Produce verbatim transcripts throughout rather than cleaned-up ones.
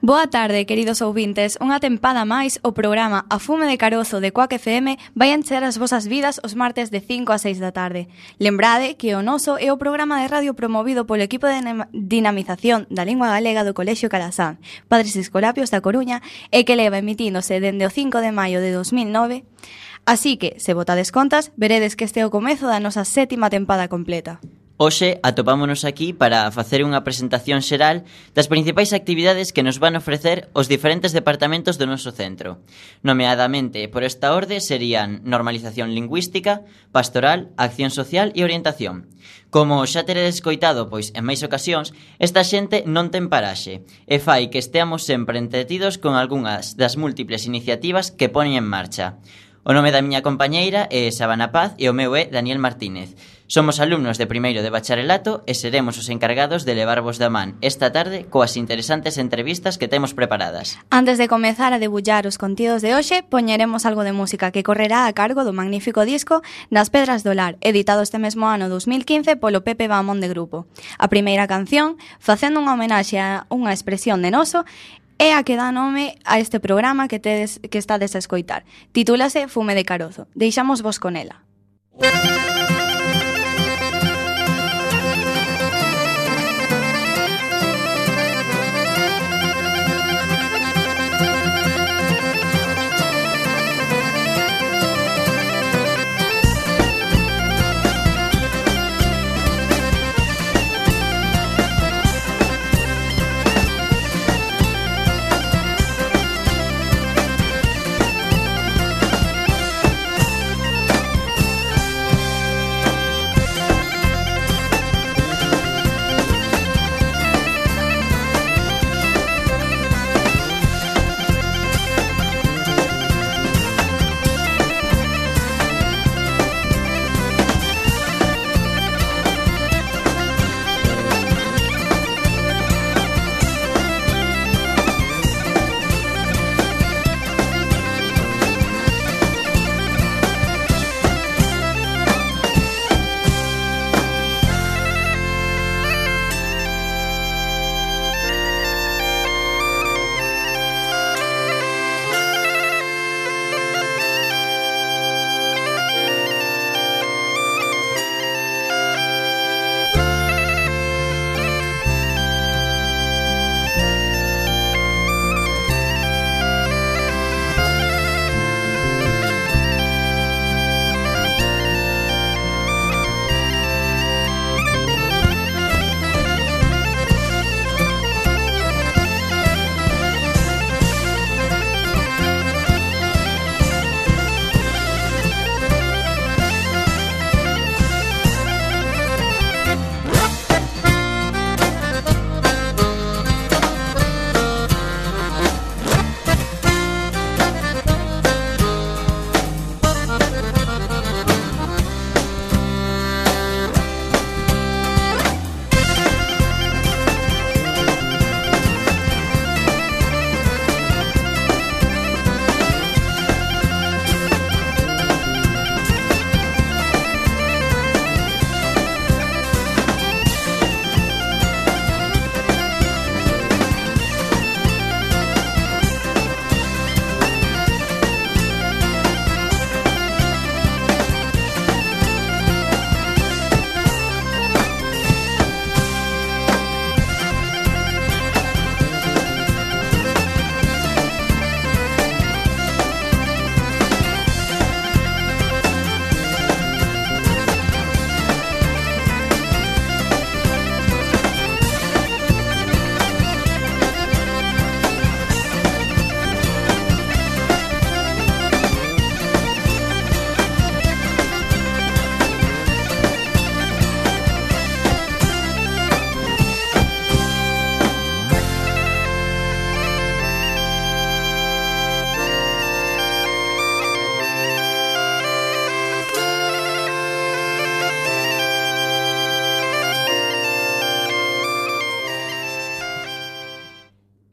Boa tarde, queridos ouvintes. Unha tempada máis, o programa A Fume de Carozo de Coac F M vai encher as vosas vidas os martes de cinco a seis da tarde. Lembrade que o noso é o programa de radio promovido polo equipo de dinamización da lingua galega do Colexio Calasán, Padres Escolapios da Coruña, e que leva emitíndose dende o cinco de maio de dos mil nove. Así que, se botades contas, veredes que este é o comezo da nosa sétima tempada completa. Hoxe atopámonos aquí para facer unha presentación xeral das principais actividades que nos van ofrecer os diferentes departamentos do noso centro. Nomeadamente, por esta orde, serían normalización lingüística, pastoral, acción social e orientación. Como xa teredes coitado, pois, en máis ocasións, esta xente non ten paraxe e fai que esteamos sempre entretidos con algunhas das múltiples iniciativas que ponen en marcha. O nome da miña compañeira é Sabana Paz e o meu é Daniel Martínez. Somos alumnos de primeiro de bacharelato e seremos os encargados de levarvos da man esta tarde coas interesantes entrevistas que temos preparadas. Antes de comezar a debullar os contidos de hoxe, poñeremos algo de música que correrá a cargo do magnífico disco Nas Pedras do Lar, editado este mesmo ano dos mil quince polo Pepe Bamón de Grupo. A primeira canción, facendo unha homenaxe a unha expresión de noso, é a que dá nome a este programa que tedes que estades a escoitar. Titúlase Fume de Carozo. Deixamos vos con ela.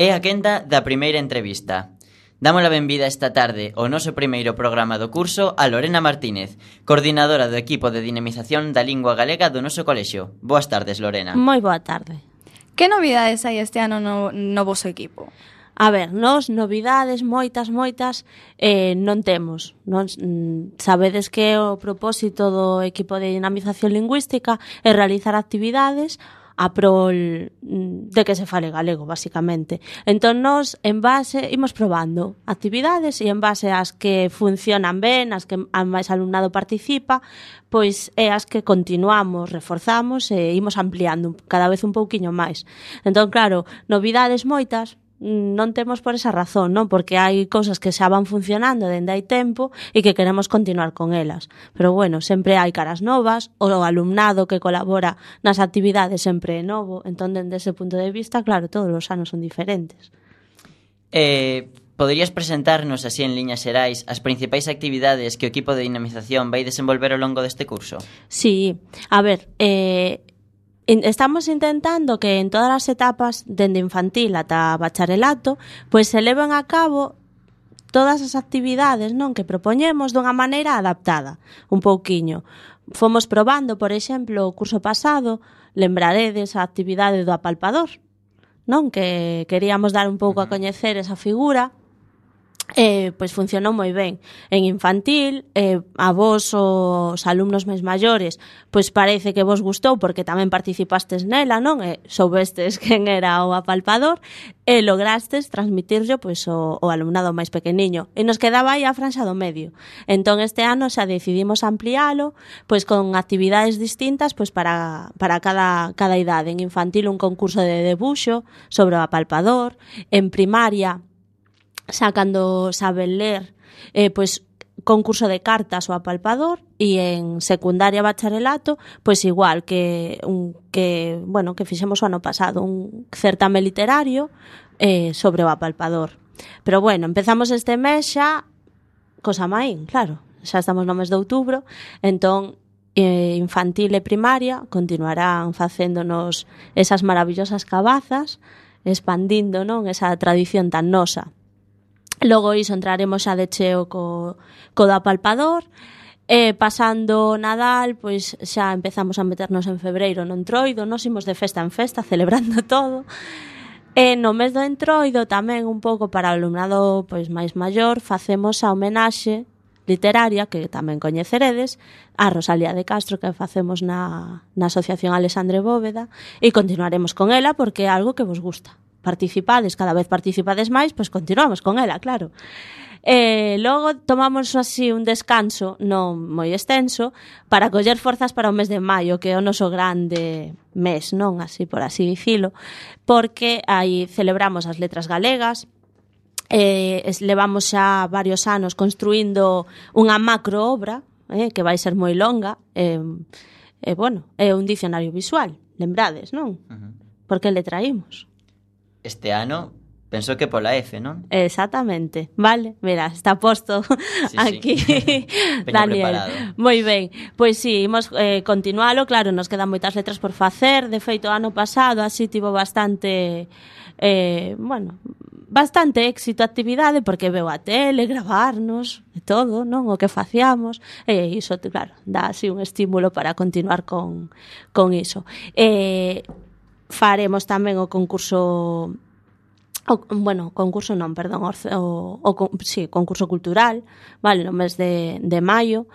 É a quenda da primeira entrevista. Damos a benvida esta tarde ao noso primeiro programa do curso a Lorena Martínez, coordinadora do equipo de dinamización da lingua galega do noso colexio. Boas tardes, Lorena. Moi boa tarde. Que novidades hai este ano no, no voso equipo? A ver, nós novidades moitas, moitas eh, non temos. Non, mm, sabedes que o propósito do equipo de dinamización lingüística é realizar actividades a prol de que se fale galego, basicamente. Entón, nós, en base, imos probando actividades e en base ás que funcionan ben, as que a máis alumnado participa, pois é as que continuamos, reforzamos e imos ampliando cada vez un pouquiño máis. Entón, claro, novidades moitas, non temos por esa razón, non? Porque hai cousas que xa van funcionando dende hai tempo e que queremos continuar con elas. Pero bueno, sempre hai caras novas, o alumnado que colabora nas actividades sempre é novo, entón dende ese punto de vista, claro, todos os anos son diferentes. Eh, poderías presentarnos así en liñas xerais as principais actividades que o equipo de dinamización vai desenvolver ao longo deste curso? Sí, a ver, eh... estamos intentando que en todas as etapas, dende infantil ata bacharelato, pois se leven a cabo todas as actividades, non, que propoñemos dunha maneira adaptada, un pouquiño. Fomos probando, por exemplo, o curso pasado, lembraredes a actividade do apalpador, non, que queríamos dar un pouco a coñecer esa figura. Eh, pois funcionou moi ben. En infantil, eh, a vos os alumnos máis maiores, pois parece que vos gustou porque tamén participastes nela, non? E soubestes quen era o apalpador e lograstes transmitirlo pois o, o alumnado máis pequeniño. E nos quedaba aí a franxa do medio. Entón este ano xa decidimos ampliálo pois con actividades distintas pois para, para cada, cada idade. En infantil un concurso de debuxo sobre o apalpador, en primaria xa cando saben ler, eh, pois concurso de cartas o apalpador, e en secundaria bacharelato, pois igual que un que, bueno, que fixemos o ano pasado, un certame literario eh, sobre o apalpador. Pero bueno, empezamos este mes xa cosa maín, claro, xa estamos no mes de outubro, entón eh, infantil e primaria continuarán facéndonos esas maravillosas cabazas, expandindo, non, esa tradición tan nosa. Logo iso entraremos xa de cheo co, co do apalpador, e pasando Nadal, pois xa empezamos a meternos en febreiro no entroido, nos imos de festa en festa, celebrando todo. E no mes do entroido tamén un pouco para o alumnado pois máis maior, facemos a homenaxe literaria, que tamén coñeceredes, a Rosalía de Castro, que facemos na, na Asociación Alexandre Bóveda, e continuaremos con ela porque é algo que vos gusta. Participades, cada vez participades máis, pois continuamos con ela, claro. E logo tomamos así un descanso non moi extenso para coller forzas para o mes de maio, que é o noso grande mes, non, así por así dicilo, porque aí celebramos as letras galegas. Eh, levamos xa varios anos construindo unha macro obra, eh, que vai ser moi longa, e eh, eh, bueno, é un dicionario visual, lembrades, non? Uh-huh. Por que le traímos? Este ano, penso que pola F, non? Exactamente, vale, mira, está posto sí, aquí sí. Daniel. Moi ben, pois si, sí, imos eh, continualo, claro, nos quedan moitas letras por facer, de feito, ano pasado así tivo bastante, eh, bueno, bastante éxito a actividade, porque veu a tele, gravarnos, e todo, non? O que facíamos, e iso, claro, dá así un estímulo para continuar con, con iso. E... Eh, faremos tamén o concurso o, bueno, concurso non, perdón o, o, o sí, concurso cultural, vale, no mes de, de maio,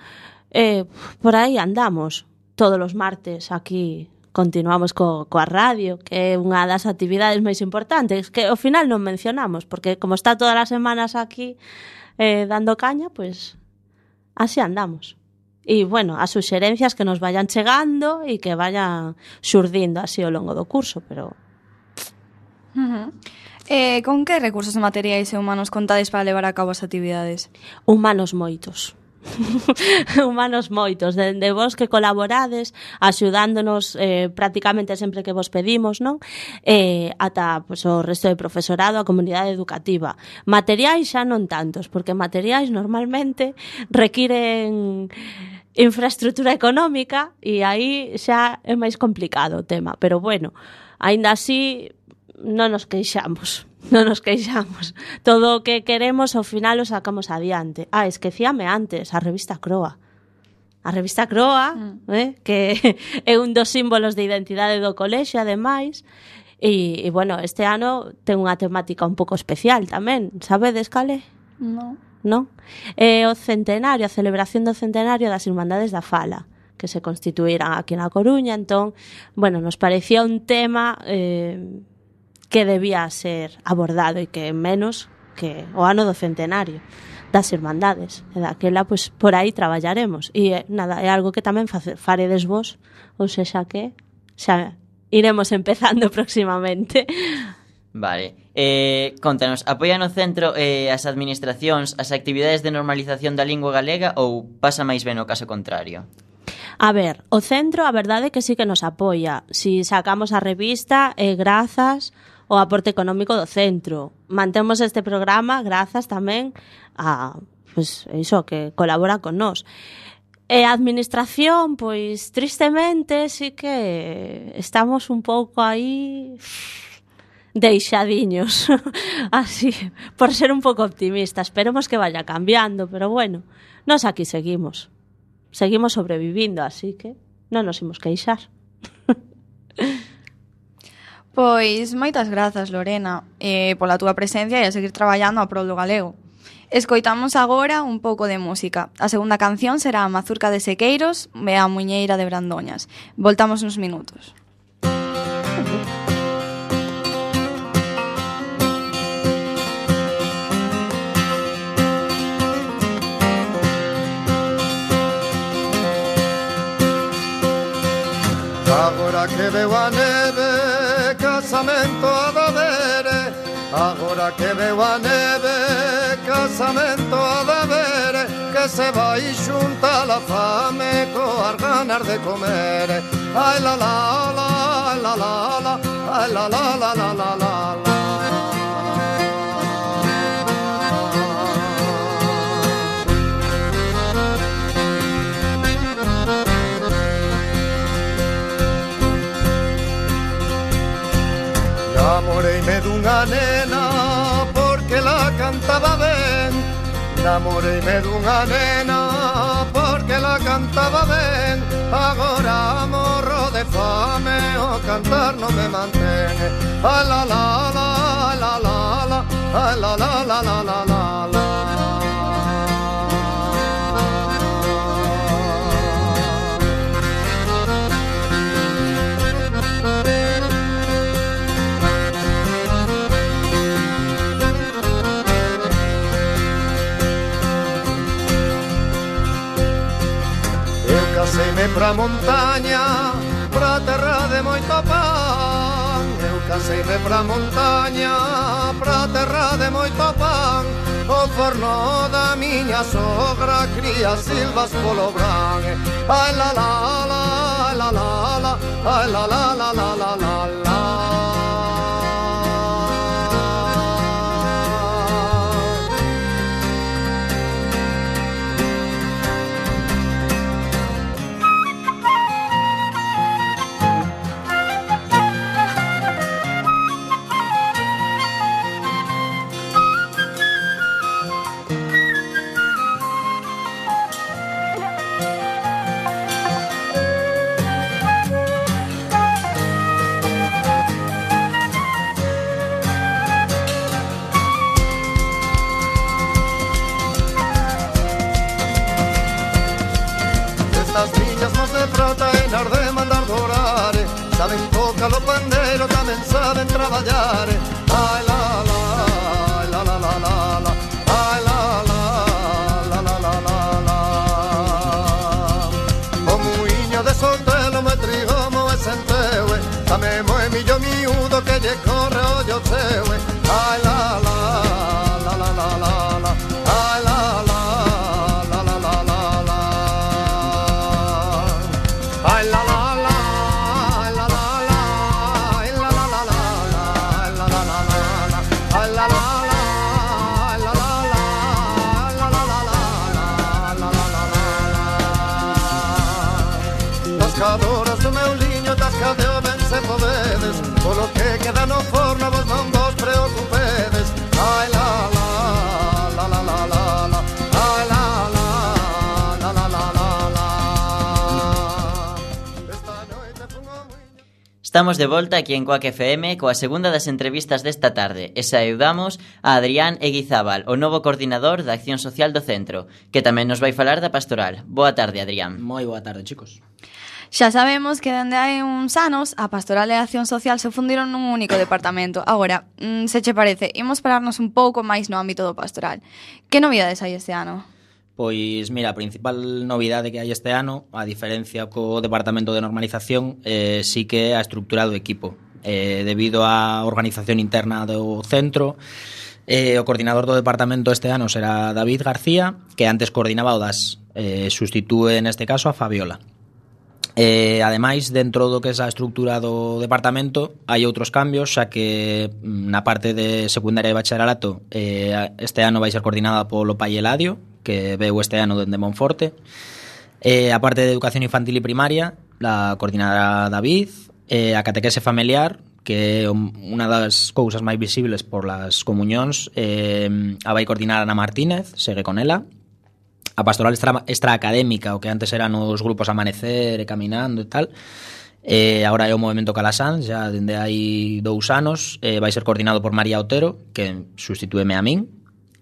eh, por aí andamos todos os martes aquí, continuamos co, coa radio, que é unha das actividades máis importantes, que ao final non mencionamos, porque como está todas as semanas aquí eh, dando caña, pois así andamos. E, bueno, as suxerencias que nos vayan chegando e que vayan xurdindo así ao longo do curso, pero... Uh-huh. Eh, con que recursos materiais e humanos contades para levar a cabo as actividades? Humanos moitos. Humanos moitos, dende vos que colaborades, axudándonos eh, prácticamente sempre que vos pedimos, non? Eh, ata pues, o resto de profesorado, a comunidade educativa. Materiais xa non tantos, porque materiais normalmente requiren infraestructura económica e aí xa é máis complicado o tema, pero bueno, aínda así non nos queixamos, non nos queixamos. Todo o que queremos ao final o sacamos adiante. Ah, esquecíame antes, a revista Croa. A revista Croa, mm. eh, que é un dos símbolos de identidade do colexio, ademais, E, e bueno, este ano ten unha temática un pouco especial tamén. Sabedes cale? No. Non? É o centenario, a celebración do centenario das Irmandades da Fala, que se constituíran aquí na Coruña. Entón, bueno, nos parecía un tema eh, que debía ser abordado e que menos que o ano do centenario das Irmandades. E daquela, pois, por aí traballaremos. E nada, é algo que tamén faredes vos, ou sexa que xa iremos empezando próximamente. Vale. Eh, contanos, apoian o centro e eh, as administracións as actividades de normalización da lingua galega ou pasa máis ben o caso contrario? A ver, o centro, a verdade é que sí que nos apoia. Si sacamos a revista, é eh, grazas ao aporte económico do centro. Mantemos este programa grazas tamén a, pois, iso, que colabora con nós. E a administración, pois, tristemente, sí que estamos un pouco aí deixadiños, así, por ser un pouco optimista. Esperemos que vaya cambiando, pero bueno, nós aquí seguimos. Seguimos sobrevivindo, así que non nos imos queixar. Pois moitas grazas, Lorena, eh, pola túa presencia e a seguir traballando a prol do galego. Escoitamos agora un pouco de música. A segunda canción será a Mazurca de Sequeiros e a Muñeira de Brandoñas. Voltamos uns minutos. Agora que veo a neve, casamento a da vere. Agora que veo a neve, casamento a da vere. Que se vai xunta la fame coas ganas de comer. Ai la la la, ai la la la, ai la la la la la la la. Namoreime dunha nena porque la cantaba ben. Namoreime dunha nena porque la cantaba ben. Agora morro de fame, o cantar non me mantén. Ai la la la, ai la la la, ai la la la la la la la. Caseime pra montaña, pra terra de moito pan. Eu caseime pra montaña, pra terra de moito pan. O forno da miña sogra cría silvas polo bran. Ai la la la, ai la la la, ai la la la la la la la. As niñas non se frota en ar de mandar dorar. Saben tocar o pandeiro, tamén saben traballar. Ai la la, ai la la la la la, ai la la la la la la la. O muiño de soltelo me trigomo e senteue. Tamén moe millo miúdo que lle corre o yo teue. Ai la la la la la la la, ai la la. Tascadoras do meu liño, tascadeo ben se podedes. Polo que queda no forno vos non vos preocupedes. Ai la la, la la la la la, ai la la, la la la la la. Esta noite fun ao muiño. Estamos de volta aquí en Coac F M coa segunda das entrevistas desta tarde e saudamos a Adrián Eguizábal, o novo coordinador da Acción Social do Centro, que tamén nos vai falar da pastoral. Boa tarde, Adrián. Moi boa tarde, chicos. Xa sabemos que dende hai uns anos a Pastoral e a Acción Social se fundiron nun único departamento. Agora, se che parece, imos pararnos un pouco máis no ámbito do pastoral. Que novidades hai este ano? Pois, mira, a principal novidade que hai este ano, a diferencia co Departamento de Normalización, eh, sí que é a estrutura do equipo. Eh, debido á organización interna do centro, eh, o coordinador do departamento este ano será David García, que antes coordinaba o D A S. Eh, sustitúe neste caso a Fabiola. Eh, ademais, dentro do que é a estrutura do departamento hai outros cambios, xa que na parte de secundaria e bacharelato eh, este ano vai ser coordinada polo pai Eladio, que veu este ano dende Monforte. Eh, a parte de educación infantil e primaria la coordinará David. Eh, a catequese familiar, que é unha das cousas máis visibles por las comunións, eh, a vai coordinar Ana Martínez, segue con ela. A pastoral extra, extraacadémica, o que antes eran os grupos Amanecer e Caminando e tal, eh, agora é o Movemento Calasanz, xa dende hai dous anos, eh, vai ser coordinado por María Otero, que sustitúeme a min.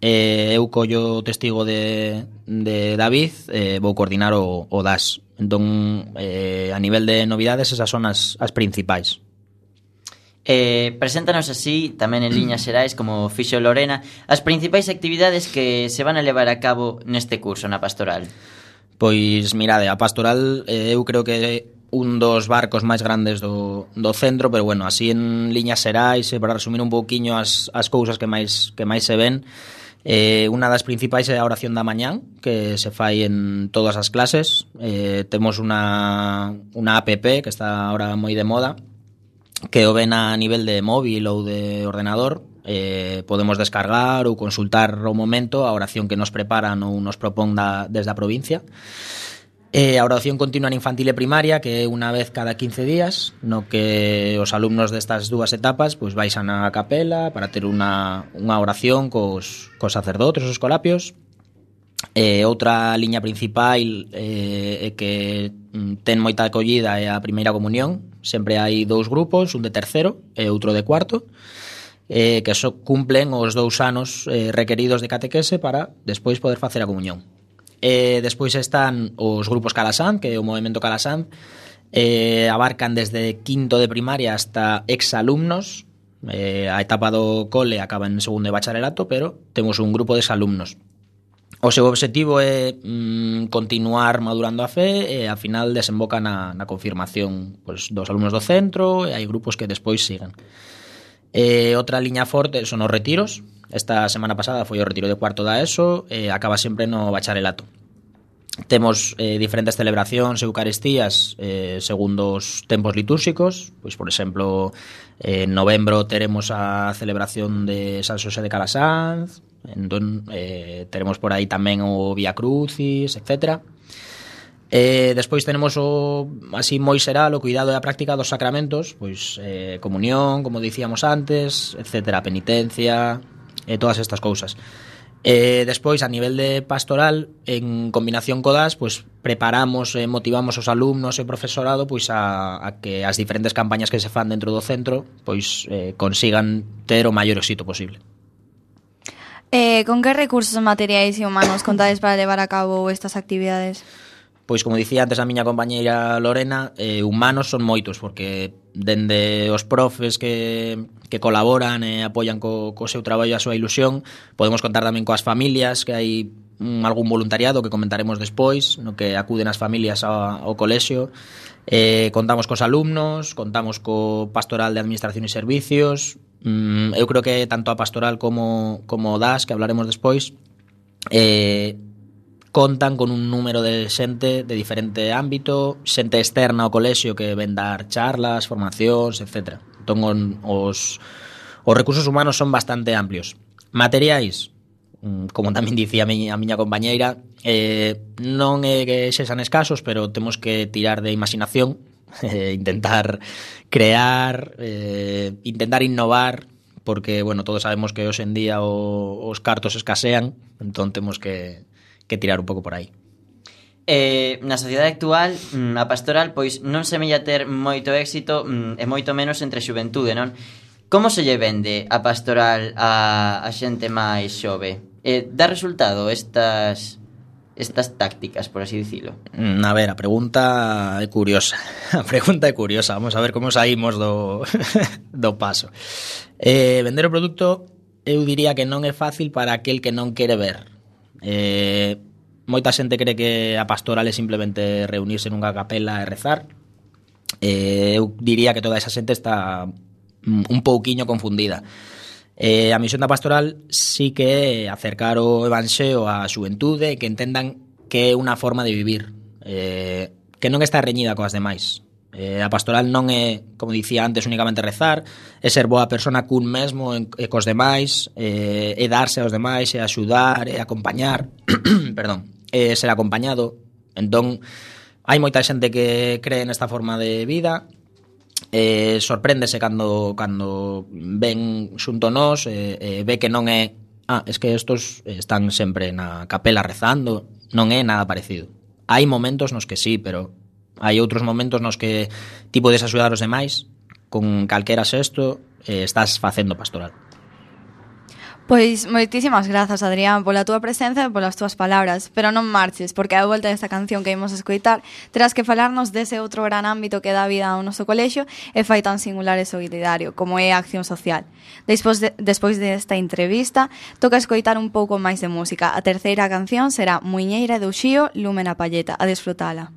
Eh, eu collo testigo de, de David, eh, vou coordinar o, o D A S. Entón, eh, a nivel de novidades, esas son as, as principais. Eh, preséntanos así, tamén en liñas xerais, como fixo Lorena, as principais actividades que se van a levar a cabo neste curso na pastoral. Pois, mirade, a pastoral eh, eu creo que é un dos barcos máis grandes do, do centro, pero bueno, así en liñas xerais, para resumir un pouquiño as, as cousas que máis, que máis se ven, eh, unha das principais é a oración da mañán, que se fai en todas as clases. Eh, temos unha, unha app que está ahora moi de moda, que o ven a nivel de móvil ou de ordenador. Eh, podemos descargar ou consultar ao momento a oración que nos preparan ou nos propón da, desde a provincia. Eh, a oración continua en infantil e primaria, que é unha vez cada quince días, no que os alumnos destas dúas etapas pois baixan a capela para ter unha, unha oración cos, cos sacerdotes, os escolapios. Eh, outra liña principal eh, é que ten moita acollida é a primeira comunión. Sempre hai dous grupos, un de terceiro e outro de cuarto, eh, que só cumplen os dous anos eh, requeridos de catequese para despois poder facer a comunión. Eh, despois están os grupos Calasanz, que é o Movemento Calasanz, eh, abarcan desde quinto de primaria hasta exalumnos. Eh, a etapa do cole acaba en segundo de bacharelato, pero temos un grupo de exalumnos. O seu obxectivo é mm, continuar madurando a fe e ao final desemboca na, na confirmación pois, dos alumnos do centro, e hai grupos que despois siguen. E outra liña forte son os retiros. Esta semana pasada foi o retiro de cuarto da ESO, e acaba sempre no bacharelato. Temos eh, diferentes celebracións e eucaristías eh, segundo os tempos litúrxicos. Pois, por exemplo, en novembro teremos a celebración de San Xosé de Calasanz. Entón, eh, teremos por aí tamén o Vía Crucis, etcétera. Eh, despois tenemos o así moi xeral o cuidado e a práctica dos sacramentos, pois eh, comunión, como dicíamos antes, etcétera, penitencia, e eh, todas estas cousas. Eh, despois, a nivel de pastoral, en combinación co D A S, pois preparamos e motivamos os alumnos e o profesorado pois a, a que as diferentes campañas que se fan dentro do centro pois eh, consigan ter o maior éxito posible. Eh, con que recursos materiais e humanos contades para levar a cabo estas actividades? Pois, como dicía antes a miña compañeira Lorena, eh, humanos son moitos, porque dende os profes que, que colaboran e apoian co, co seu traballo e a súa ilusión, podemos contar tamén coas familias, que hai un, algún voluntariado que comentaremos despois, no que acuden as familias ao, ao colexio. Eh, contamos cos alumnos, contamos co pastoral de administración e servicios. Mm, eu creo que tanto a pastoral como, como o D A S, que hablaremos despois, eh, contan con un número de xente de diferente ámbito, xente externa ao colexio que ven dar charlas, formacións, etcétera. Entón, os, os recursos humanos son bastante amplios. Materiais, como tamén dicía a miña, a miña compañeira, eh, non é que sexan escasos, pero temos que tirar de imaginación, eh, intentar crear, eh, intentar innovar, porque, bueno, todos sabemos que hoxe en día o, os cartos escasean, entón temos que, que tirar un pouco por aí. Eh, na sociedade actual, mm, a pastoral pois non semella ter moito éxito mm, e moito menos entre a xuventude, non? Como se lle vende a pastoral a, a xente máis xove? Eh, dá resultado estas estas tácticas, por así dicilo? Mm, A ver, a pregunta é curiosa. A pregunta é curiosa. Vamos a ver como saímos do, do paso. Eh, vender o produto, eu diría que non é fácil para aquel que non quere ver. Eh, moita xente cree que a pastoral é simplemente reunirse nunha capela e rezar. Eh, eu diría que toda esa xente está un pouquiño confundida. Eh, a misión da pastoral sí que é acercar o evanxeo á xuventude e que entendan que é unha forma de vivir, eh, que non está reñida coas demais. Eh, a pastoral non é, como dicía antes, únicamente rezar, é ser boa persona cun mesmo e cos demais, eh, é darse aos demais, é axudar, é acompañar, perdón, é ser acompañado. Entón, hai moita xente que cree nesta forma de vida, eh, sorpréndese cando cando ven xunto nós, eh, eh, ve que non é ah, es que estos están sempre na capela rezando, non é nada parecido. Hai momentos nos que sí, pero hai outros momentos nos que ti podes axudar os demais con calquera xesto, eh, estás facendo pastoral. Pois moitísimas grazas, Adrián, pola túa presenza e polas túas palabras, pero non marches, porque a volta desta canción que imos escoitar terás que falarnos dese outro gran ámbito que dá vida ao noso colexio e fai tan singular e solidario, como é a acción social. Despois, de, despois desta entrevista, toca escoitar un pouco máis de música. A terceira canción será Muiñeira do Xío, Lume na Palleta. A desfrutala.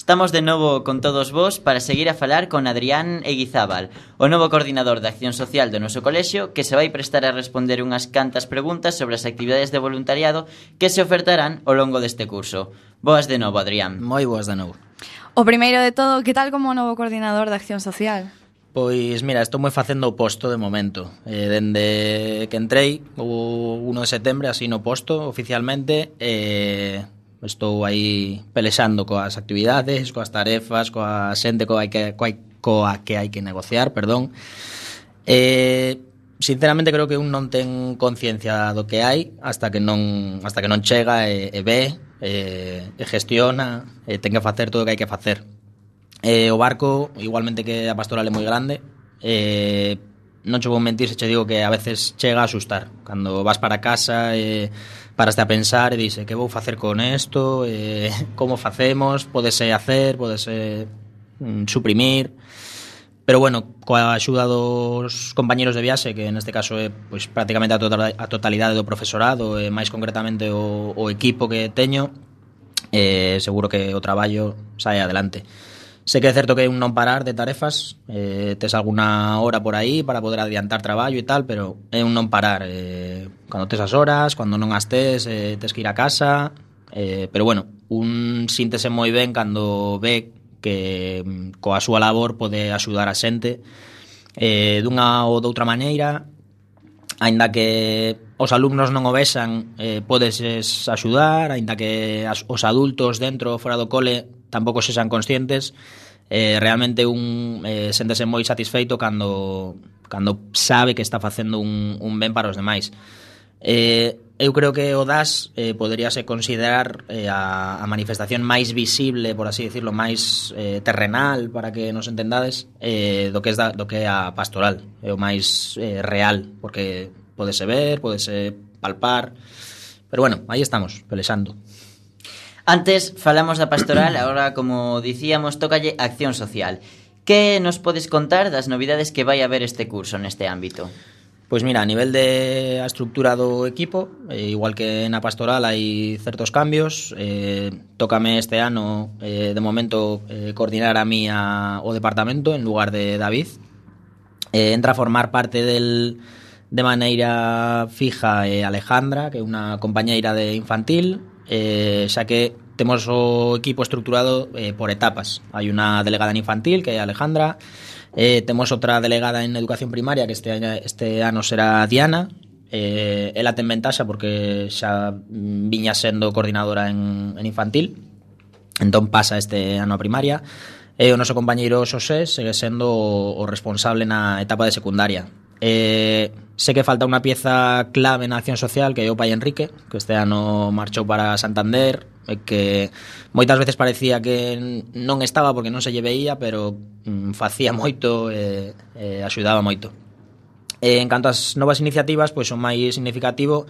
Estamos de novo con todos vos para seguir a falar con Adrián Eguizábal, o novo coordinador de Acción Social do noso colexio, que se vai prestar a responder unhas cantas preguntas sobre as actividades de voluntariado que se ofertarán ao longo deste curso. Boas de novo, Adrián. Moi boas de novo. O primeiro de todo, que tal como novo coordinador de Acción Social? Pois mira, estou moi facendo o posto de momento. Eh, dende que entrei o primeiro de setembro, así no posto oficialmente, eh, estou aí pelexando coas actividades, coas tarefas, coa xente coa que, coa, coa que hai que negociar, perdón. Eh, sinceramente creo que un non ten conciencia do que hai hasta que non hasta que non chega e, e ve, e, e gestiona, e ten que facer todo o que hai que facer. Eh, o barco, igualmente que a pastoral é moi grande, eh, non che vou mentir se che digo que a veces chega a asustar. Cando vas para casa e paraste a pensar e dice, que vou facer con isto, eh, como facemos, podese hacer, podese mm, suprimir. Pero bueno, coa axuda dos compañeros de viaxe, que neste caso é pois, prácticamente a, total, a totalidade do profesorado, e máis concretamente o, o equipo que teño, eh, seguro que o traballo sae adelante. Sé que é certo que é un non parar de tarefas, eh, tes alguna hora por aí para poder adiantar traballo e tal, pero é un non parar. Eh, cando tes as horas, cando non as tes, eh, tes que ir a casa, eh, pero bueno, un síntese moi ben cando ve que coa súa labor pode axudar a xente eh, dunha ou doutra maneira, aínda que os alumnos non o vexan, eh, podes axudar, aínda que as, os adultos dentro ou fora do cole tampouco sexan conscientes, eh, realmente un eh, séntese moi satisfeito cando, cando sabe que está facendo un, un ben para os demais. Eh, eu creo que o D A S eh, poderíase considerar eh, a, a manifestación máis visible, por así decirlo, máis eh, terrenal, para que nos entendades, eh, do que é da, do que é a pastoral, é o máis eh, real, porque podese ver, podese palpar, pero bueno, aí estamos, pelexando. Antes falamos da pastoral, agora, como dicíamos, tócalle Acción Social. Que nos podes contar das novidades que vai haber este curso neste ámbito? Pois mira, a nivel de a estructura do equipo, eh, igual que na pastoral hai certos cambios, eh, tócame este ano, eh, de momento, eh, coordinar a mí a, o departamento en lugar de David. Eh, entra a formar parte del, de maneira fija eh, Alejandra, que é unha compañeira de infantil, eh, xa que temos o equipo estruturado eh, por etapas. Hai unha delegada en infantil, que é Alejandra, eh, temos outra delegada en educación primaria, que este año, este ano será Diana. Eh, ela ten ventaxa porque xa viña sendo coordinadora en, en infantil, entón pasa este ano a primaria. E o noso compañeiro Xosé segue sendo o, o responsable na etapa de secundaria. Eh, sé que falta unha pieza clave na Acción Social, que é o pai Enrique, que este ano marchou para Santander, e que moitas veces parecía que non estaba porque non se lle veía, pero mm, facía moito e eh, eh, axudaba moito. Eh, en canto ás novas iniciativas, pois o máis significativo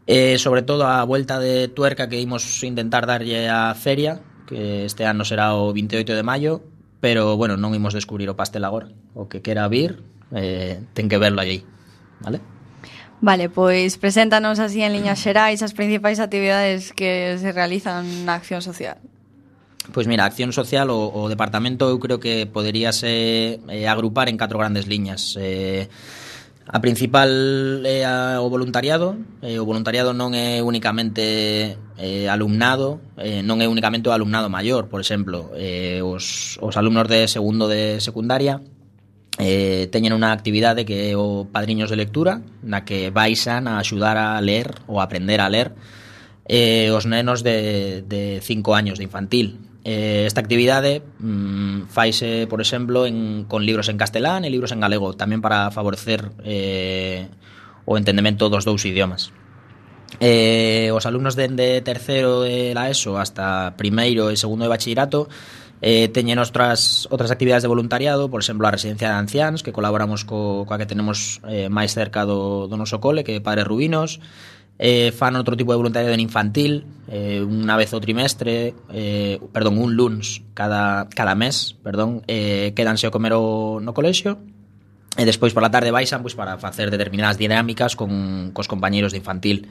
eh, sobre todo a vuelta de tuerca que imos intentar darlle á feria, que este ano será o veintioito de maio, pero bueno, non imos descubrir o pastel agora. O que quera vir eh, ten que verlo allí, vale? Vale, pois preséntanos así en liñas xerais as principais actividades que se realizan na Acción Social. Pois mira, a Acción Social, o, o departamento eu creo que poderíase eh, agrupar en catro grandes liñas. Eh, a principal é a, o voluntariado. Eh, o voluntariado non é únicamente eh, alumnado, eh, non é únicamente o alumnado maior, por exemplo, eh, os, os alumnos de segundo de secundaria eh, teñen unha actividade que é o Padriños de Lectura, na que vaixan a axudar a ler ou a aprender a ler eh, os nenos de, de cinco años de infantil. Eh, esta actividade mmm, faise, por exemplo, en, con libros en castelán e libros en galego, tamén para favorecer eh, o entendemento dos dous idiomas. Eh, os alumnos de, de terceiro de la ESO hasta primeiro e segundo de bachillerato eh, teñen outras, outras actividades de voluntariado, por exemplo, a residencia de anciáns, que colaboramos co, coa que tenemos eh, máis cerca do, do noso cole, que é Padres Rubinos. Eh, fan outro tipo de voluntariado en infantil, eh, unha vez ao trimestre, eh, perdón, un luns cada, cada mes, perdón, eh, quedanse a comer o, no colexio, e despois por la tarde baixan pois, para facer determinadas dinámicas con cos compañeiros de infantil.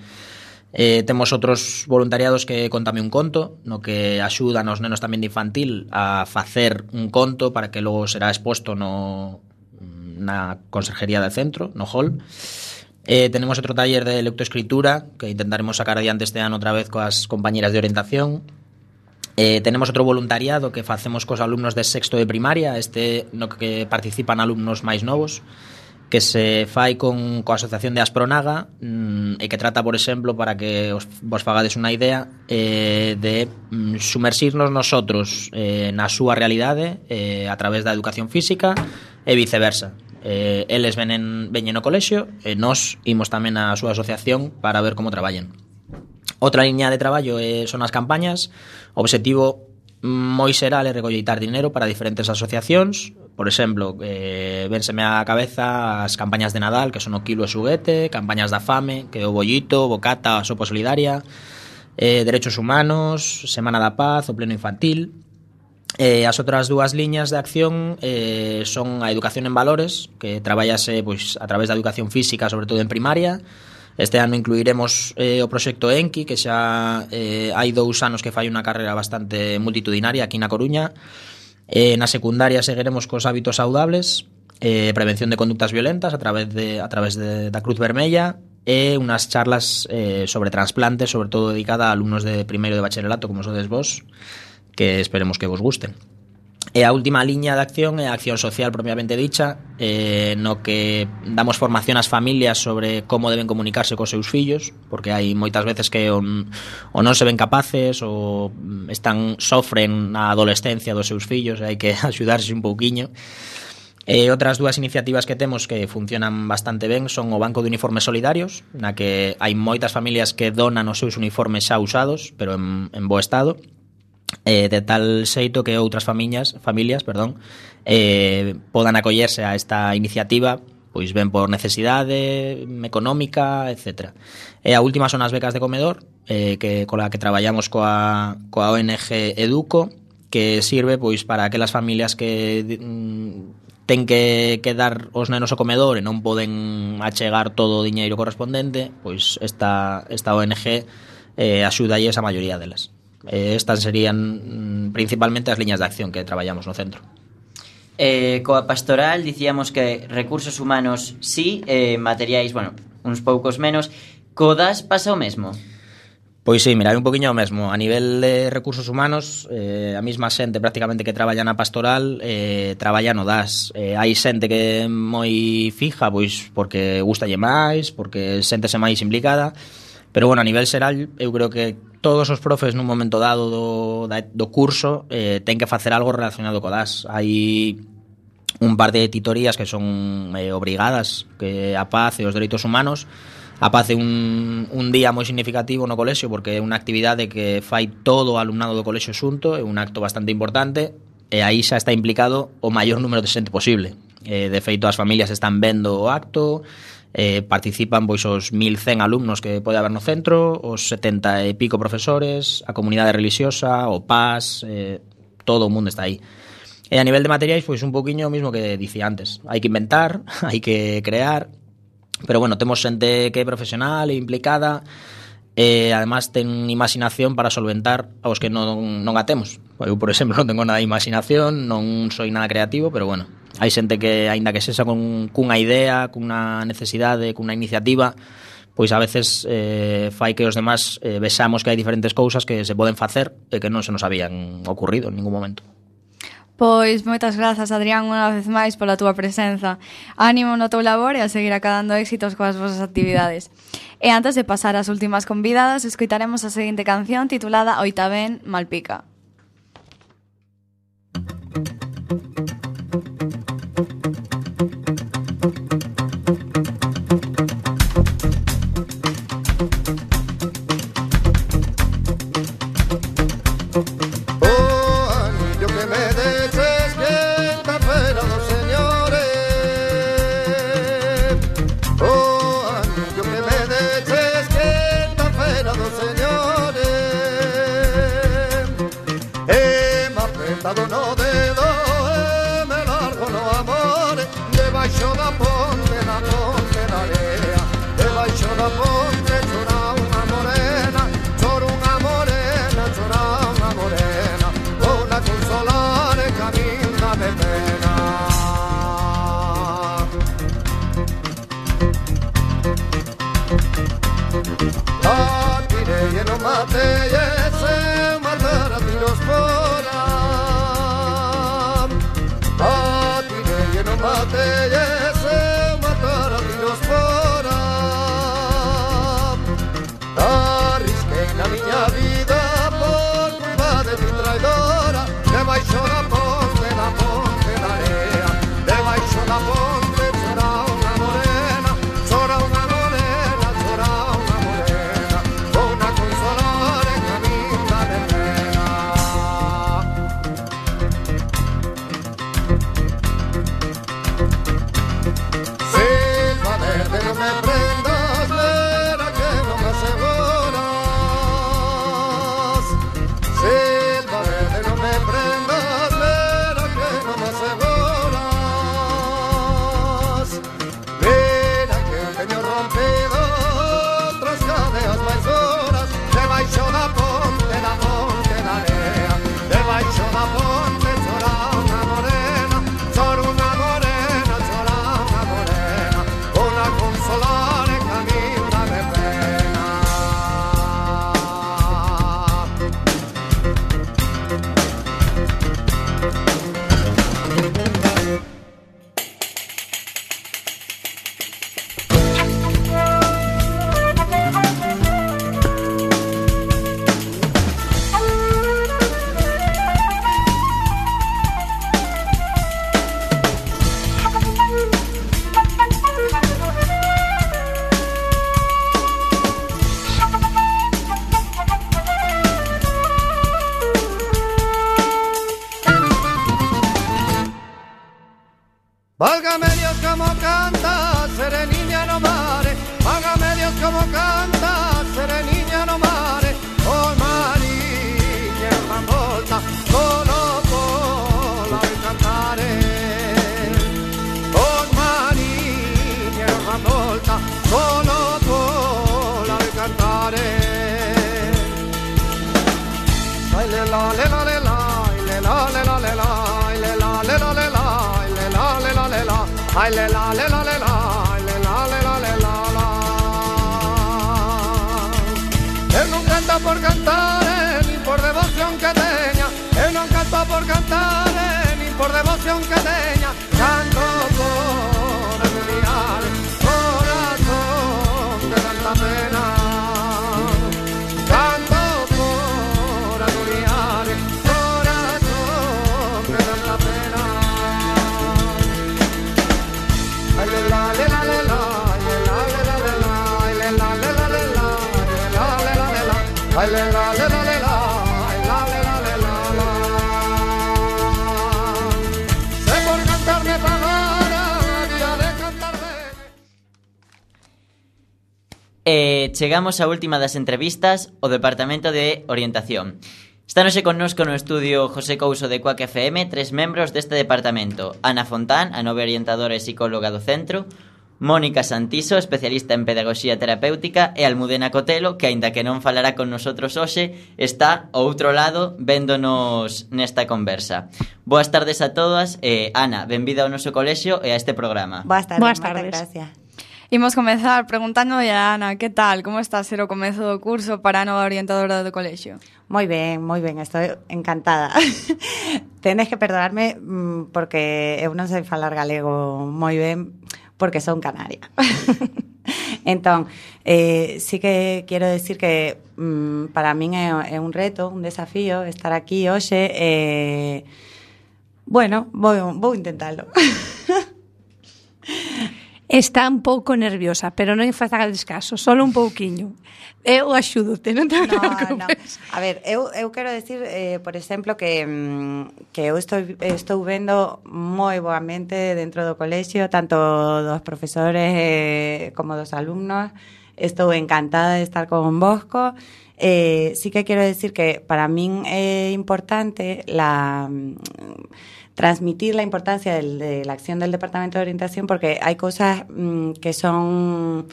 Eh, temos outros voluntariados que Contame un conto, no que axudan aos nenos tamén de infantil a facer un conto para que logo será exposto no, na conserjería del centro, no hall. Eh, tenemos outro taller de lectoescritura que intentaremos sacar adiante este ano outra vez coas compañeras de orientación. Eh, tenemos outro voluntariado que facemos cos alumnos de sexto de primaria, este no que participan alumnos máis novos, que se fai con coa Asociación de Aspronaga mmm, e que trata, por exemplo, para que os, vos fagades unha idea, eh, de mm, sumersirnos nosotros eh, na súa realidade eh, a través da educación física e viceversa. Eh, eles venen, veñen no colexio e nós imos tamén á súa asociación para ver como traballen. Outra liña de traballo eh, son as campañas. O obxectivo moi xeral é recolleitar dinero para diferentes asociacións. Por exemplo, eh, vénseme á cabeza as campañas de Nadal, que son o quilo e xuguete, campañas da fame, que é o bollito, bocata, a sopa solidaria, eh, derechos humanos, Semana da Paz, o pleno infantil. Eh, as outras dúas liñas de acción eh, son a educación en valores, que traballase pois, a través da educación física, sobre todo en primaria. Este ano incluiremos eh, o proxecto Enki, que xa eh, hai dous anos que fai unha carreira bastante multitudinaria aquí na Coruña. Eh, na secundaria seguiremos cos hábitos saudables, eh, prevención de conductas violentas a través, de, a través de, da Cruz Vermella e unhas charlas eh, sobre trasplantes, sobre todo dedicada a alumnos de primeiro de bacharelato, como sodes vos, que esperemos que vos gusten. E a última liña de acción é a acción social propiamente dicha, eh, no que damos formación ás familias sobre como deben comunicarse cos seus fillos, porque hai moitas veces que on, o non se ven capaces ou están sofren na adolescencia dos seus fillos e hai que axudarse un pouquiño. E outras dúas iniciativas que temos que funcionan bastante ben son o Banco de Uniformes Solidarios, na que hai moitas familias que donan os seus uniformes xa usados, pero en, en bo estado. Eh, de tal xeito que outras familias, familias, perdón, eh, podan acollerse a esta iniciativa, pois ben por necesidade económica, etcétera. E a última son as becas de comedor, eh, que cola que traballamos coa, coa O N G Educo, que sirve pois para aquelas familias que mm, ten que, que dar os nenos ao comedor e non poden achegar todo o diñeiro correspondente, pois esta, esta O N G eh, axudalle a maioría delas. Eh, estas serían mm, principalmente as liñas de acción que traballamos no centro. Eh, coa pastoral dicíamos que recursos humanos sí, eh, materiais, bueno, uns poucos menos. Co D A S pasa o mesmo? Pois sí, mira, hai un poquinho o mesmo. A nivel de recursos humanos, eh, a mesma xente prácticamente que traballa na pastoral eh, traballa no D A S. Eh, hai xente que é moi fija, pois porque gustalle máis, porque séntese máis implicada. Pero, bueno, a nivel xeral, eu creo que todos os profes nun momento dado do, do curso eh, ten que facer algo relacionado co D A S. Hai un par de titorías que son eh, obrigadas, que a paz e os dereitos humanos. A paz é un, un día moi significativo no colexio porque é unha actividade que fai todo o alumnado do colexio xunto, é un acto bastante importante e aí xa está implicado o maior número de xente posible. Eh, de feito, as familias están vendo o acto. Eh, participan pois os mil cen alumnos que pode haber no centro, os setenta e pico profesores, a comunidade religiosa, o P A S, eh, todo o mundo está aí. E a nivel de materiais, pois un poquinho o mismo que dicía antes. Hai que inventar, hai que crear, pero bueno, temos xente que é profesional e implicada e además ten imaginación para solventar aos que non, non a temos. Eu, por exemplo, non tengo nada de imaginación, non soy nada creativo, pero bueno, hai xente que, aínda que sexa con, cunha idea, cunha necesidade, cunha iniciativa, pois a veces eh, fai que os demás eh, vexamos que hai diferentes cousas que se poden facer e que non se nos habían ocurrido en ningún momento. Pois moitas grazas, Adrián, unha vez máis pola túa presenza. Ánimo no teu labor e a seguir acadando éxitos coas vosas actividades. E antes de pasar ás últimas convidadas, escoitaremos a seguinte canción titulada Oitavén Malpica. No dedo, eh, me largo no amore, debaixo da ponte, na ponte da area, debaixo da ponte chora unha morea. mate e se matar a tiros fora. Arrisquei na miña vida por culpa de ti traidora. Debaixo da ponte, da ponte da area, debaixo da ponte chora unha morena, chora unha morena, chora unha morena, vou na consolar en a vida de pena. Silva verde, non me prendas, vera que non me aseguras. Silva verde, non me prendas, vera que non me aseguras. Mira que teño rompido outras cadeas máis duras, debaixo da ponte, da ponte da area, debaixo da ponte chora unha morena, chora unha morena, chora unha morena, unha consolar en camina de pena. Válgame Dios como canta, sereniña no mare. Válgame Dios como canta, sereniña no mare. Oh mariña una volta, solo sola de cantare. Oh mariña una volta, solo sola de cantare. Ay le la le la le la, le la le la le la, le la le la le la. Ay, le la, le la, le la, le la, le la, le la, la. Él non canta por cantar, eh, ni por devoción que teña. Él non canta por cantar, eh, ni por devoción que teña. Canto por aliviar corazón de tanta pena. Canto por aliviar corazón de tanta pena. Ay, le la, le la, le la, le la, le la, le la, le la, le la, le la, le la, le la, le la, ay, le la, le la, le la, ay, la, le la, le la, la. Sé por cantarme pagara, había de cantar ben. E chegamos á última das entrevistas, o Departamento de Orientación. Estánoxe connosco no estudio José Couso de Cuac F M tres membros deste departamento: Ana Fontán, a nova orientadora e psicóloga do centro; Mónica Santiso, especialista en pedagogía terapéutica; e Almudena Cotelo, que aínda que non falará con nosotros hoxe, está ao outro lado véndonos nesta conversa. Boas tardes a todas. eh, Ana, benvida ao noso colexio e a este programa. Boas tardes, Boas moitas tardes. gracias. Imos comezar preguntándolle a Ana, que tal, como está a ser o comezo do curso para a nova orientadora do colexio? Moi ben, moi ben, estou encantada. Tenes que perdonarme mm, porque eu non sei falar galego moi ben porque son canaria. Entón, eh, sí que quero decir que mm, para min é, é un reto, un desafío estar aquí hoxe. Eh, bueno, vou, vou intentalo. Está un pouco nerviosa, pero non fazades caso, solo un pouquiño. Eu axúdote, non te No, preocupes. no. A ver, eu, eu quero decir, eh, por exemplo, que, mm, que eu estou, estou vendo moi boamente dentro do colexio, tanto dos profesores eh, como dos alumnos. Estou encantada de estar con Bosco. Eh, sí que quero decir que para min é importante la... transmitir la importancia del, de la acción del Departamento de Orientación, porque hay cosas mmm, que son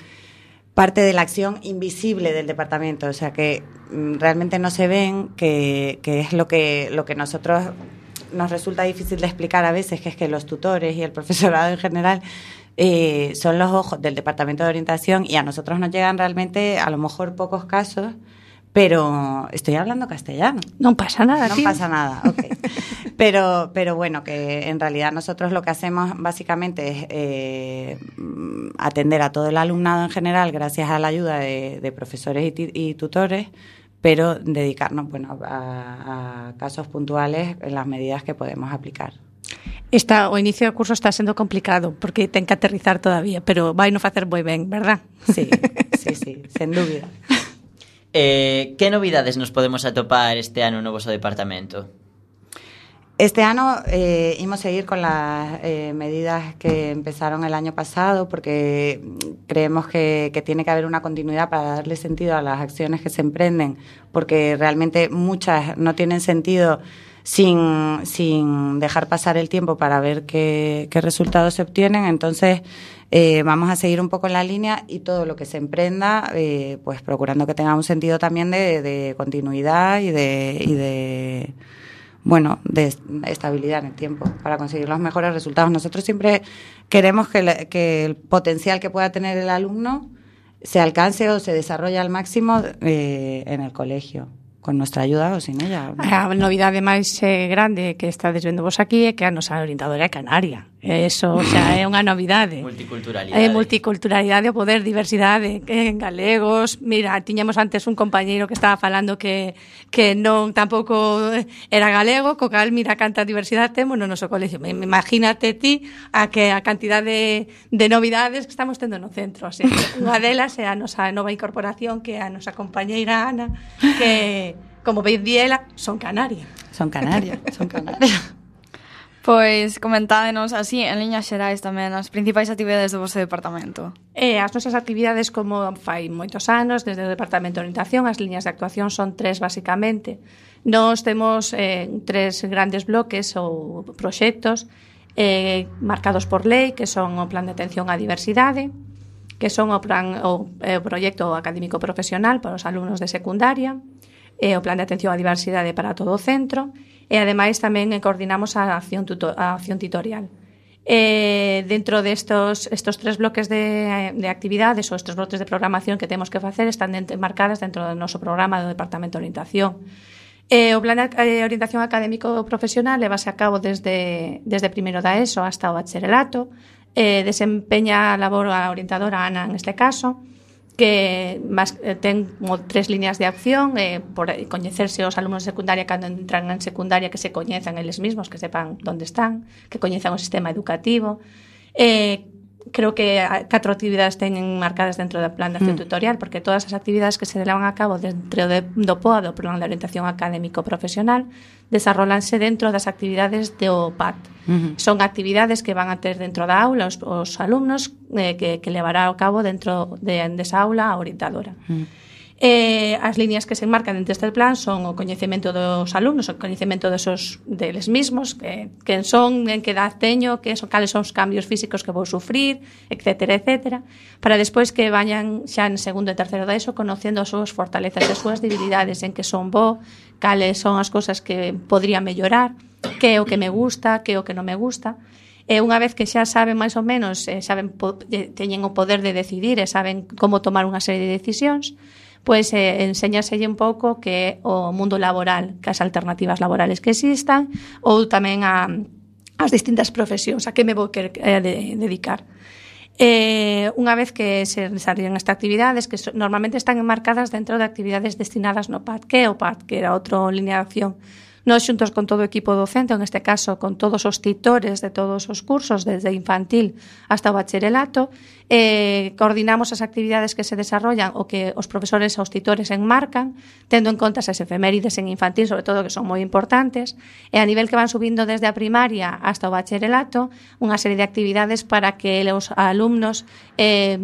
parte de la acción invisible del departamento, o sea que mmm, realmente no se ven, que, que es lo que, lo que nosotros nos resulta difícil de explicar a veces, que es que los tutores y el profesorado en general eh, son los ojos del Departamento de Orientación, y a nosotros nos llegan realmente a lo mejor pocos casos, pero estoy hablando castellano. Non pasa nada, No tío. pasa nada, ok. Pero, pero bueno, que en realidad nosotros lo que hacemos básicamente es eh, atender a todo el alumnado en general gracias a la ayuda de, de profesores y, t- y tutores, pero dedicarnos bueno, a, a casos puntuales en las medidas que podemos aplicar. Esta, o inicio do curso está sendo complicado porque ten que aterrizar todavía, pero vai no facer moi ben, verdad? Sí, sí, sí, sen dúbida. Eh, que novidades nos podemos atopar este ano no voso departamento? Este ano eh, imos seguir con las eh, medidas que empezaron el año pasado porque creemos que, que tiene que haber una continuidad para darle sentido a las acciones que se emprenden, porque realmente muchas no tienen sentido sin, sin dejar pasar el tiempo para ver qué, qué resultados se obtienen. Entonces eh, vamos a seguir un poco en la línea y todo lo que se emprenda eh, pues procurando que tenga un sentido también de, de continuidad y de... Y de bueno, de estabilidad en el tiempo para conseguir los mejores resultados. Nosotros siempre queremos que, le, que el potencial que pueda tener el alumno se alcance o se desarrolle al máximo eh, en el colegio, con nuestra ayuda ou sin ella. A novidade máis eh, grande que estades vendo vos aquí é que a nosa orientadora é canaria. Eso xa é unha novidade. Multiculturalidade. É multiculturalidade, o poder, diversidade, en galegos. Mira, tiñamos antes un compañeiro que estaba falando que que non tampouco era galego, co cal mira canta diversidade temos no noso colegio. Imagínate ti a que a cantidad de, de novidades que estamos tendo no centro. Así, unha delas é a nosa nova incorporación, que é a nosa compañeira Ana, que, como veis diela, son canaria. Son canarias, son canarias. Pois comentádenos así, en liñas xerais tamén, as principais actividades do vosso departamento. E as nosas actividades, como fai moitos anos, desde o Departamento de Orientación, as liñas de actuación son tres, basicamente. Nos temos eh, tres grandes bloques ou proxectos eh, marcados por lei, que son o Plan de Atención á Diversidade, que son o, plan, o, o proxecto académico profesional para os alumnos de secundaria, e o Plan de Atención á Diversidade para todo o centro, e ademais tamén coordinamos a acción, tuto, a acción tutorial. E dentro destos estos tres bloques de, de actividades ou estes bloques de programación que temos que facer están dentro, marcadas dentro do noso programa do Departamento de Orientación. E o Plan de Orientación Académico Profesional levase a cabo desde, desde primeiro da ESO hasta o bacharelato. E desempeña a labor a orientadora Ana, en este caso, que más, eh, ten como tres líneas de acción, eh, por coñecerse os alumnos de secundaria cando entran en secundaria, que se coñezan eles mesmos, que sepan onde están, que coñezan o sistema educativo. Eh, creo que catro actividades teñen marcadas dentro do plan de acción mm. tutorial, porque todas as actividades que se levan a cabo dentro de, do P O A, do Plan de Orientación Académico Profesional, desarrollanse dentro das actividades do P A T. Uh-huh. Son actividades que van a ter dentro da aula os, os alumnos eh, que, que levará a cabo dentro de, desa aula a orientadora. Uh-huh. Eh, as líneas que se enmarcan dentro deste plan son o coñecemento dos alumnos, o coñecemento desos, deles mismos, que, que son, en que edad teño, que son, cales son os cambios físicos que vou sufrir, etcétera, etcétera, para despois que vayan xa en segundo e terceiro da ESO conocendo as súas fortalezas e as súas debilidades, en que son bo, cales son as cousas que podría mellorar, que é o que me gusta, que é o que non me gusta. E unha vez que xa saben máis ou menos, eh, saben po, teñen o poder de decidir e saben como tomar unha serie de decisións, pois eh, enséñaselle un pouco que é o mundo laboral, que as alternativas laborales que existan, ou tamén a, as distintas profesións, a que me vou querer eh, de, dedicar. Eh, unha vez que se desarrollan estas actividades, que so, normalmente están enmarcadas dentro de actividades destinadas no P A T, que é o P A T, que era outra línea de acción. Nós xuntos con todo o equipo docente, en este caso con todos os titores de todos os cursos, desde infantil hasta o bacharelato, eh, coordinamos as actividades que se desarrollan o que os profesores e os titores enmarcan, tendo en conta as efemérides en infantil, sobre todo, que son moi importantes, e a nivel que van subindo desde a primaria hasta o bacharelato, unha serie de actividades para que os alumnos eh,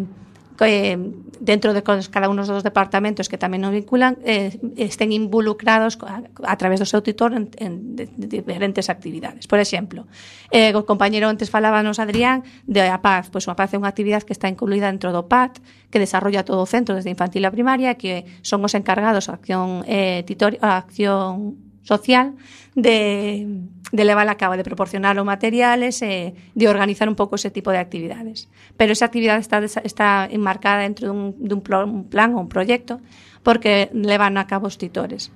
que dentro de cada un dos departamentos que tamén nos vinculan eh, estén involucrados a, a través do seu tutor en, en de, de diferentes actividades. Por exemplo, eh, o compañero antes falábanos, Adrián, de a Paz. Pois a Paz é unha actividade que está incluída dentro do P A T, que desarrolla todo o centro desde infantil a primaria, que son os encargados a acción, eh, titor, a acción social de, de levar a cabo, de proporcionar os materiales e de organizar un pouco ese tipo de actividades. Pero esa actividade está, está enmarcada dentro dun, dun plan ou un proxecto porque levan a cabo os titores.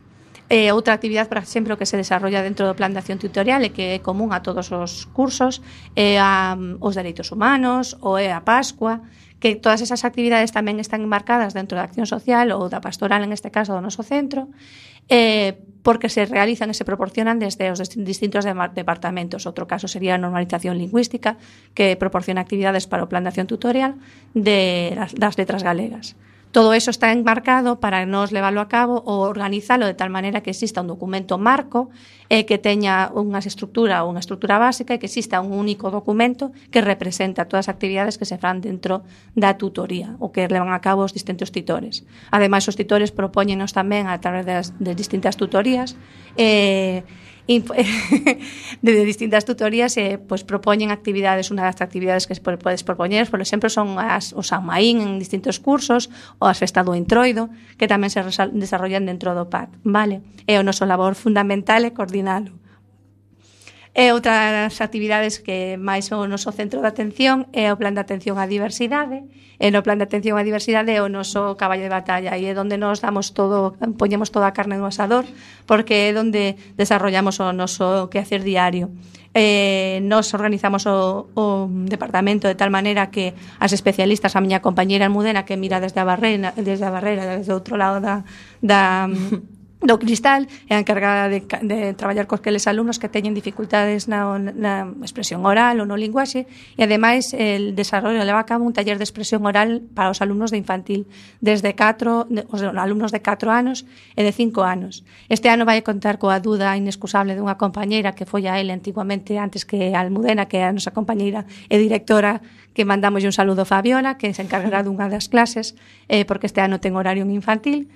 Eh, outra actividade, por exemplo, que se desarrolla dentro do plan de acción tutorial e que é común a todos os cursos é a, os dereitos humanos ou é a Pascua, que todas esas actividades tamén están enmarcadas dentro da acción social ou da pastoral, en este caso do noso centro, eh, porque se realizan e se proporcionan desde os distintos departamentos. Outro caso sería a normalización lingüística, que proporciona actividades para o plan de acción tutorial de las, das letras galegas. Todo eso está enmarcado para nos leválo a cabo ou organizalo de tal maneira que exista un documento marco eh, que teña unha estructura ou unha estructura básica e que exista un único documento que representa todas as actividades que se fan dentro da tutoría ou que levan a cabo os distintos titores. Ademais, os titores propóñenos tamén a través das, de distintas tutorías eh, de distintas tutorías eh, pues propoñen actividades. Unha das actividades que podes propoñer, por exemplo, son as, os Samaín en distintos cursos ou as Festa do Entroido, que tamén se desarrollan dentro do P A C, vale? E o noso labor fundamental é coordinalo. E outras actividades que máis o noso centro de atención é o plan de atención á diversidade. E no plan de atención á diversidade é o noso caballo de batalla e é onde nos damos todo, poñemos toda a carne no asador, porque é onde desarrollamos o noso quehacer diario. Eh, nos organizamos o, o departamento de tal maneira que as especialistas, a miña compañeira Almudena, que mira desde a barreira, desde a barreira, desde o outro lado da, da do cristal, é a encargada de, de traballar con aqueles alumnos que teñen dificultades na, na expresión oral ou no linguaxe, e ademais el desarrollo leva a cabo un taller de expresión oral para os alumnos de infantil desde catro, os alumnos de catro anos e de cinco anos. Este ano vai contar coa duda inexcusable dunha compañeira que foi a ele antiguamente antes que a Almudena, que é a nosa compañeira e directora, que mandamos un saludo a Fabiola, que se encargará dunha das clases, eh, porque este ano ten horario en infantil.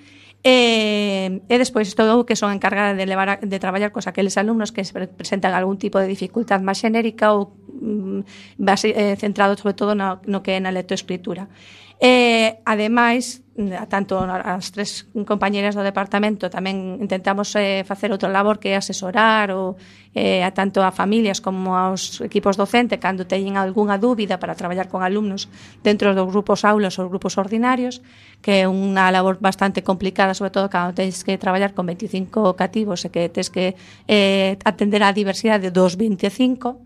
E, e despois estou que son encargada de levar a, de traballar cos aqueles alumnos que se presentan algún tipo de dificultad máis xenérica ou mm, base, eh, centrado sobre todo no, no que é na lectoescritura. E, ademais, tanto as tres compañeras do departamento tamén intentamos eh, facer outro labor que é asesorar ou, eh, a tanto a familias como aos equipos docentes cando teñen algunha dúbida para traballar con alumnos dentro dos grupos aulas ou grupos ordinarios, que é unha labor bastante complicada, sobre todo cando tens que traballar con veinticinco cativos e que tens que eh, atender á diversidade dos veinticinco.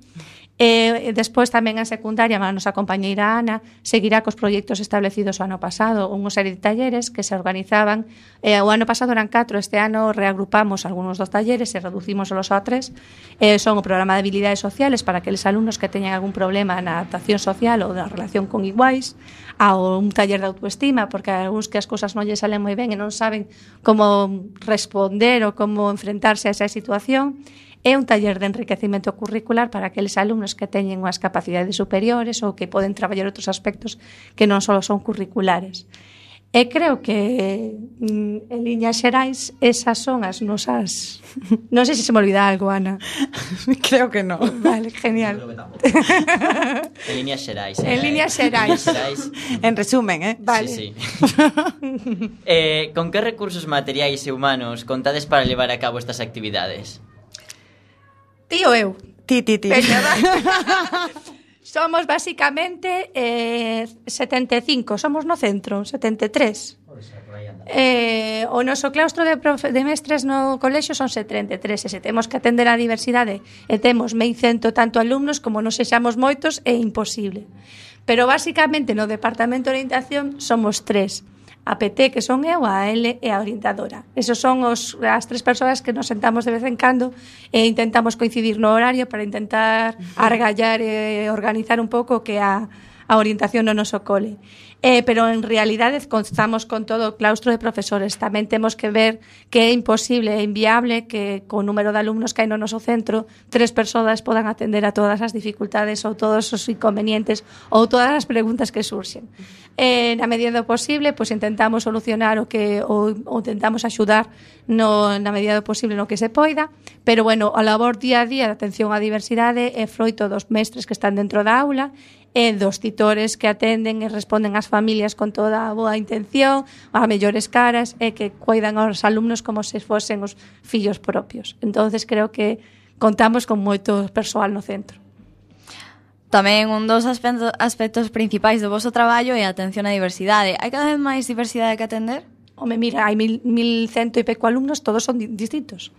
E despois tamén en secundaria a nosa compañeira Ana seguirá cos proxectos establecidos o ano pasado, unha serie de talleres que se organizaban. E o ano pasado eran catro, este ano reagrupamos algúns dos talleres e reducimos los a tres. E son o programa de habilidades sociales para aqueles alumnos que teñan algún problema na adaptación social ou na relación con iguais, ao un taller de autoestima, porque algúns que as cousas non lle salen moi ben e non saben como responder ou como enfrentarse a esa situación. É un taller de enriquecimento curricular para aqueles alumnos que teñen unhas capacidades superiores ou que poden traballar outros aspectos que non só son curriculares. E creo que mm, en liñas xerais esas son as nosas... Non sei se se me olvida algo, Ana. Creo que no. Vale, genial. En líneas xerais. En líneas xerais. En resumen, eh? Vale. Sí, sí. eh, con que recursos materiais e humanos contades para levar a cabo estas actividades? Ti ou eu? Ti, ti, ti. Veña, va. Somos basicamente eh, setenta e cinco, somos no centro, setenta e tres. Eh, o noso claustro de, profe, de mestres no colexio son setenta e tres, e se temos que atender a diversidade e temos mil cento tanto alumnos, como non sexamos moitos, é imposible. Pero basicamente no departamento de orientación somos tres. A P T, que son eu, a L e a orientadora. Esos son os, as tres persoas que nos sentamos de vez en cando e intentamos coincidir no horario para intentar argallar e organizar un pouco que a, a orientación no noso cole. Eh, pero en realidade constamos con todo o claustro de profesores. Tamén temos que ver que é imposible e inviable que co número de alumnos que hai no noso centro tres persoas podan atender a todas as dificultades ou todos os inconvenientes ou todas as preguntas que surxen. Eh, na medida do posible, pois intentamos solucionar o que ou, ou intentamos axudar no, na medida do posible no que se poida, pero bueno, a labor día a día de atención á diversidade é froito dos mestres que están dentro da aula e dos titores que atenden e responden ás familias con toda a boa intención, a mellores caras e que cuidan aos alumnos como se fosen os fillos propios. Entonces creo que contamos con moito persoal no centro. Tamén un dos aspectos, aspectos principais do voso traballo é a atención á diversidade. Hai cada vez máis diversidade que atender? Home, mira, hai mil, mil cento e peco alumnos, todos son di- distintos.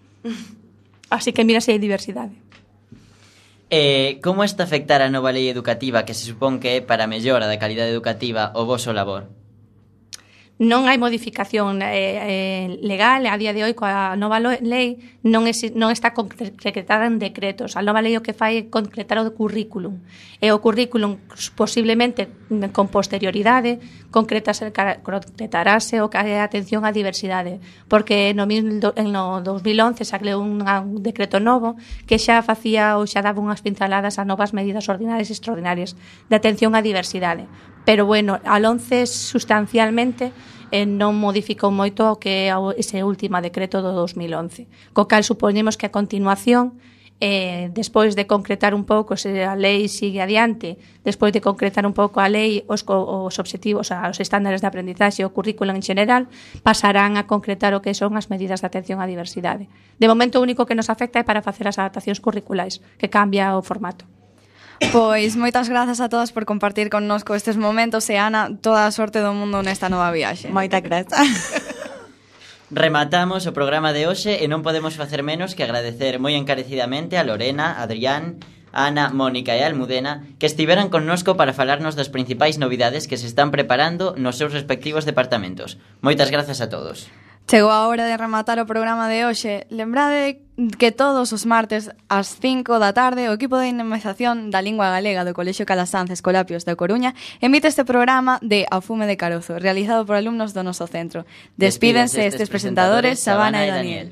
Así que mira se hai diversidade. Eh, como está a afectar a nova lei educativa que se supón que é para a mellora da calidade educativa o voso labor? Non hai modificación eh, eh, legal a día de hoy coa nova lo- lei non, exi- non está concretada en decretos. A nova lei o que fai é concretar o currículum. E o currículum posiblemente con posterioridade concretase, concretarase o que é a atención á diversidade, porque no, mil, no dos mil once sacleu un, un decreto novo que xa facía ou xa daba unhas pinceladas a novas medidas ordinarias e extraordinarias de atención á diversidade. Pero bueno, al once sustancialmente eh, non modificou moito o que é ese último decreto do dos mil once. Co cal supoñemos que a continuación, eh, despois de concretar un pouco se a lei sigue adiante, despois de concretar un pouco a lei os, os obxectivos, os estándares de aprendizaxe, o currículo en general, pasarán a concretar o que son as medidas de atención á diversidade. De momento o único que nos afecta é para facer as adaptacións curriculares, que cambia o formato. Pois moitas grazas a todas por compartir connosco estes momentos e Ana, toda a sorte do mundo nesta nova viaxe. Moita grazas. Rematamos o programa de hoxe e non podemos facer menos que agradecer moi encarecidamente a Lorena, Adrián, Ana, Mónica e Almudena que estiveran connosco para falarnos das principais novidades que se están preparando nos seus respectivos departamentos. Moitas grazas a todos. Chegou a hora de rematar o programa de hoxe. Lembrade que todos os martes ás cinco da tarde o equipo de dinamización da lingua galega do Colexio Calasanz Escolapios da Coruña emite este programa de A Fume de Carozo, realizado por alumnos do noso centro. Despídense estes presentadores, Sabana e Daniel.